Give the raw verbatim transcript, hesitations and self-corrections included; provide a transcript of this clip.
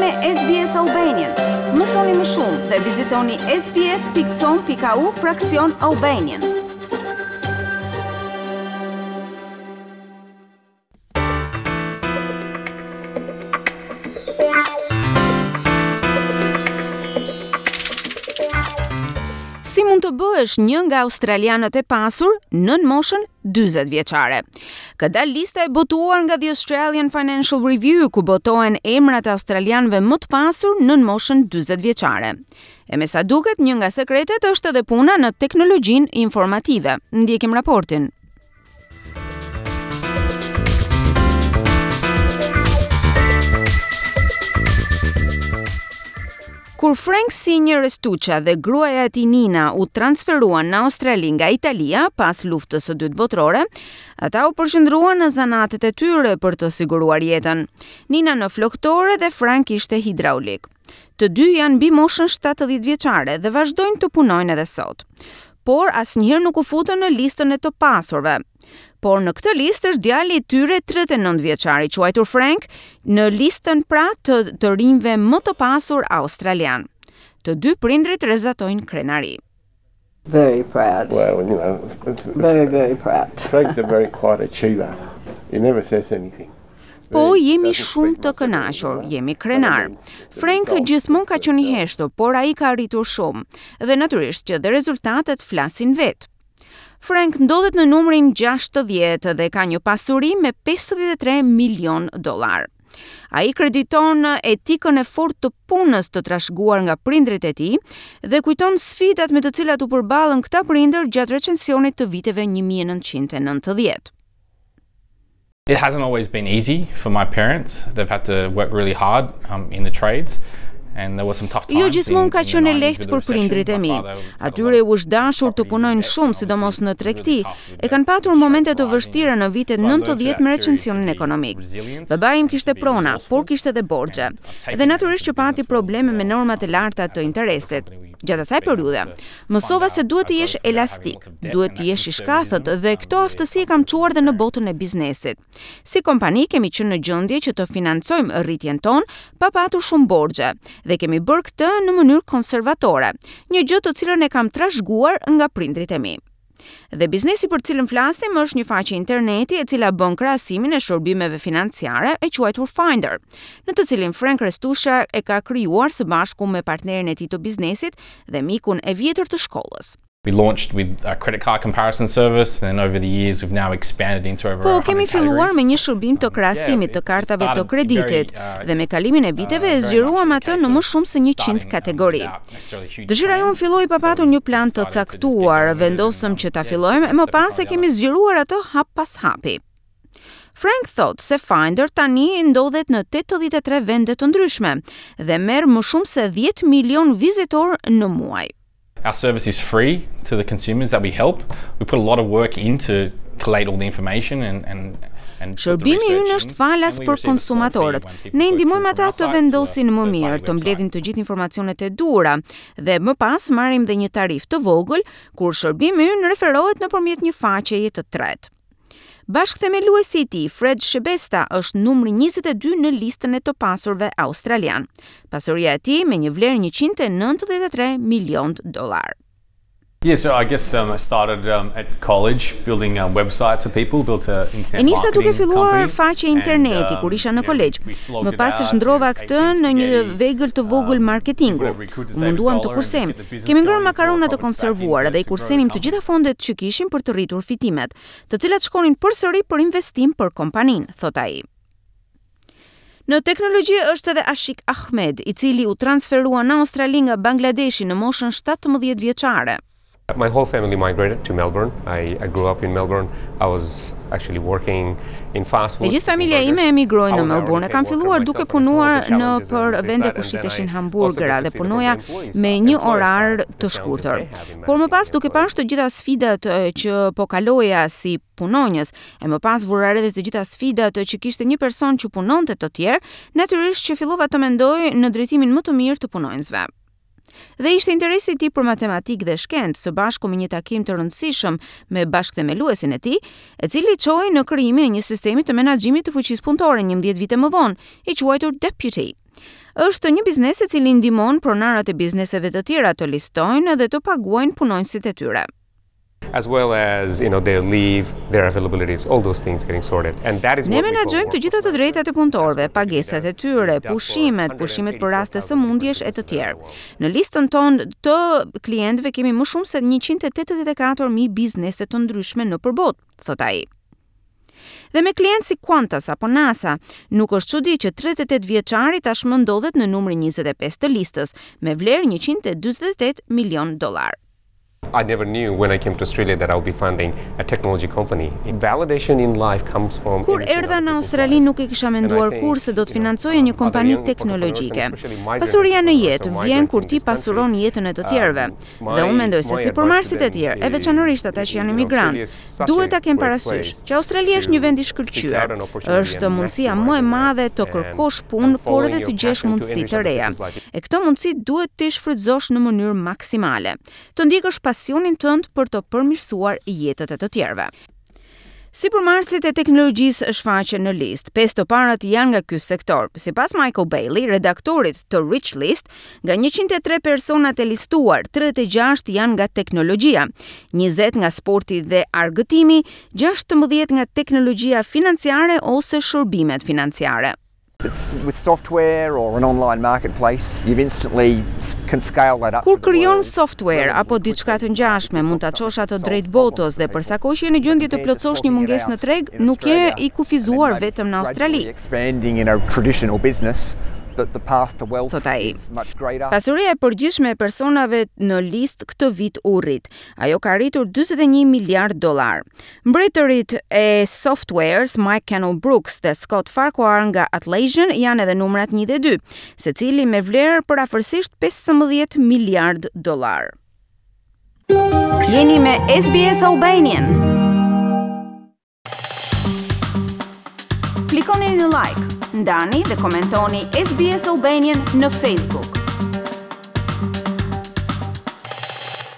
me S B S Albanian. Mësoni më shumë dhe vizitoni S B S pikë com pikë A U fraksion Albanian. Si mund të bëhesh një nga australianët e pasur nën moshën dyzet vjeçare? Ka dalë lista e botuar nga The Australian Financial Review, ku botohen emrat e australianëve më të pasur nën moshën dyzet vjeçare. E me sa duket, një nga sekretet është edhe puna në teknologjinë informative. Ndjekim raportin. Kur Frank Senior Restuccia dhe gruaja e tij Nina u transferuan në Australi nga Italia pas Luftës së Dytë Botërore, ata u përqendruan në zanatet e tyre për të siguruar jetën. Nina në floktore dhe Frank ishte hidraulik. Të dy janë mbi moshën shtatëdhjetë vjeçare dhe vazhdojnë të punojnë edhe sot. Por asnjëherë nuk u futën në listën e të pasurve. Por në këtë listë është djali i tyre tridhjetë e nëntë vjeçar, i quajtur Frank, në listën pra të të rinjve më të pasur australian. Të dy prindrit rrezatojnë krenari. Very proud. Well, you know, it's, it's, Very, very proud. Frank's a very quiet achiever. He never says anything. Po, jemi shumë të kënaqur, jemi krenar. Frank gjithmonë ka qenë i heshtur, por ai ka arritur shumë dhe natyrisht që dhe rezultatet flasin vetë. Frank ndodhet në numrin gjashtëdhjetë dhe ka një pasuri me pesëdhjetë e tre milion dollar. Ai krediton etikën e fortë të punës të trashëguar nga prindrit e tij dhe kujton sfidat me të cilat u përballën këta prindër gjatë recensionit të viteve një mijë e nëntëqind e nëntëdhjetë. It hasn't always been easy for my parents. They've had to work really hard um, in the trades. And there were some tough times. Jo gjithmonë ka qenë e lehtë për prindrit e mi. Atyre u është dashur të punojnë shumë, sidomos në tregti. E kanë patur momente të vështira në vitet nëntëdhjetë me recensionin ekonomik. Babai im kishte prona, por kishte edhe borxhe. Dhe natyrisht që pati probleme me normat e larta të interesit. Gjatë asaj periudhe, mësova se duhet të jesh elastik, duhet të jesh i shkathët dhe këto aftësi e kam çuar dhe në botën e biznesit. Si kompani kemi qenë në gjendje që të financojmë rritjen tonë pa patur shumë borxhe dhe kemi bërë këtë në mënyrë konservatore, një gjë të cilën e kam trashëguar nga prindrit e mi. Dhe biznesi për cilën flasim është një faqe interneti e cila bën krahasimin e shërbimeve financiare, e quajtur Finder, në të cilin Frank Restuccia e ka krijuar së bashku me partnerin e tij të biznesit dhe mikun e vjetër të shkollës. We launched with a credit card comparison service, and then over the years we've now expanded into over Po, kemi filluar me një shërbim të krahasimit të kartave të kreditit dhe me kalimin e viteve e zgjeruam atë në më shumë se njëqind kategori. Dëshira jonë filloi pa patur një plan të caktuar, vendosëm që ta fillojmë e më pas e kemi zgjeruar atë hap pas hapi. Frank thot se Finder tani ndodhet në tetëdhjetë e tre vende të ndryshme dhe merr më shumë se dhjetë milion vizitor në muaj. Our service is free to the consumers that we help. We put a lot of work into collate all the information and and and Shërbimi ynë është falas për konsumatorët. Ne ndihmojmë ata të vendosin më mirë, të mbledhin të gjithë informacionet e duhura dhe më pas marrim dhe një tarifë të vogël kur shërbimi ynë referohet nëpërmjet një faqeje të tretë. Bashkëthemeluesi i tij, Fred Schebesta, është numri njëzet e dy në listën e të pasurve australian. Pasuria e tij me një vlerë njëqind e nëntëdhjetë e tre milion dollar. Yeah, so I guess um, I started um, at college building um, websites for people, built a internet E nisa duke filluar faqe interneti kur isha në kolegj. Më pas e shndrova këtë në një vegël të vogël marketingu. U munduam të kursejmë. Kemi ngrënë makarona të konservuara dhe i kursenim të gjitha fondet që kishim për të rritur fitimet, të cilat shkonin përsëri për investim për kompaninë, thot ai. Në teknologji është edhe Ashik Ahmed, i cili u transferua në Australi nga Bangladeshi në moshën shtatëmbëdhjetë vjeçare. My whole family migrated to Melbourne. I, I grew up in Melbourne. I was actually working in fast food. E gjithë familja ime emigroi në Melbourne. E kam filluar duke punuar në për vende ku shiteshin hamburgera dhe punoja me një orar të shkurtër. Por më pas, duke parë të gjitha sfidat që po kaloja si punonjës, e më pas vura re edhe të gjitha sfidat që kishte një person që punonte të tjerë, natyrisht që fillova të mendoj në drejtimin më të mirë të punonjësve. Dhe ishte interesi i tij për matematikë dhe shkencë, së bashku me një takim të rëndësishëm me bashkëthemeluesin e tij, e cili çoi në krijimin e një sistemi të menaxhimit të fuqisë punëtore njëmbëdhjetë vite më vonë, i quajtur Deputy. Është një biznes i cili ndihmon pronarët e bizneseve të tjera të listojnë dhe të paguajnë punonjësit e tyre. As well as you know their leave, their availabilities, all those things getting sorted. And that is Ne menaxhojmë të gjitha të drejtat e punëtorëve, pagesat e tyre, pushimet, pushimet për raste sëmundjesh e të tjerë. Në listën tonë të klientëve kemi më shumë se njëqind e tetëdhjetë e katër mijë biznese të ndryshme nëpër botë, thot ai. Dhe me klient si Qantas apo NASA, nuk është çudi që tridhjetë e tetë vjeçari tashmë ndodhet në numrin njëzet e pesë të listës, me vlerë njëqind e dyzet e tetë milion dollar. I never knew when I came to Australia that I'll be funding a technology company. Validation in life comes from Kur erdha në Australi, nuk e kisha menduar kurrë se do të financoja një kompani teknologjike. Pasuria në jetë vjen kur ti pasuron jetën e të tjerëve. Dhe unë mendoj se sipërmarrësit e tjerë, e veçanërisht ata që janë emigrantë, duhet ta kenë parasysh që Australia është një vend i shkëlqyer. Është mundësia më e madhe të kërkosh punë, por edhe të gjesh mundësi të reja. E këto mundësi duhet të shfrytëzosh në mënyrë maksimale. Të ndjekësh pasionin tënd për të përmirësuar jetët e të tjerëve. Sipërmarrësit e teknologjisë shfaqen në listë. Pesë të parët janë nga ky sektor. Sipas Michael Bailey, redaktorit të Rich List, nga njëqind e tre personat e listuar, tridhjetë e gjashtë janë nga teknologjia, njëzet nga sporti dhe argëtimi, gjashtëmbëdhjetë nga teknologjia financiare ose shërbimet financiare. It's with software or an online marketplace, you instantly can scale that up. Kur krijon software apo diçka të ngjashme, mund ta çosh atë drejt botës dhe për sa kohë që je në gjendje të plotësosh një mungesë në treg, nuk je i kufizuar vetëm në Australi. Expanding in a traditional business, that the path to wealth thot ai. is much greater. Pasuria e përgjithshme e personave në listë këtë vit u rrit. Ajo ka arritur dyzet e një miliard dollar. Mbretërit e softwares Mike Cannon-Brookes dhe Scott Farquhar nga Atlassian janë edhe numrat një dhe dy, secili me vlerë për afërsisht pesëmbëdhjetë miliard dollar. Jeni me S B S Albanian. Klikoni në like, ndani dhe komentoni S B S Albanian në Facebook.